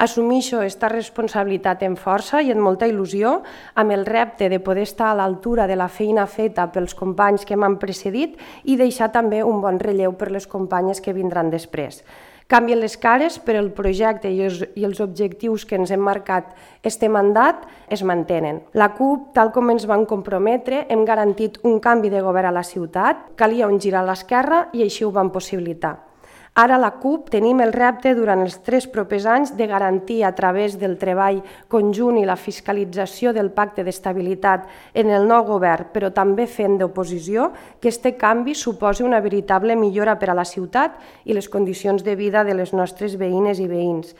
Assumeixo aquesta responsabilitat amb força i amb molta il·lusió, amb el repte de poder estar a l'altura de la feina feta pels companys que m'han precedit i deixar també un bon relleu per les companyes que vindran després. Canvien les cares, però el projecte i els objectius que ens hem marcat este mandat es mantenen. La CUP, tal com ens vam comprometre, hem garantit un canvi de govern a la ciutat, calia un gir a l'esquerra i així ho vam possibilitar. Ara a la CUP tenim el repte durant els 3 propers anys de garantir a través del treball conjunt i la fiscalització del pacte d'estabilitat en el nou govern, però també fent d'oposició, que aquest canvi suposi una veritable millora per a la ciutat i les condicions de vida de les nostres veïnes i veïns.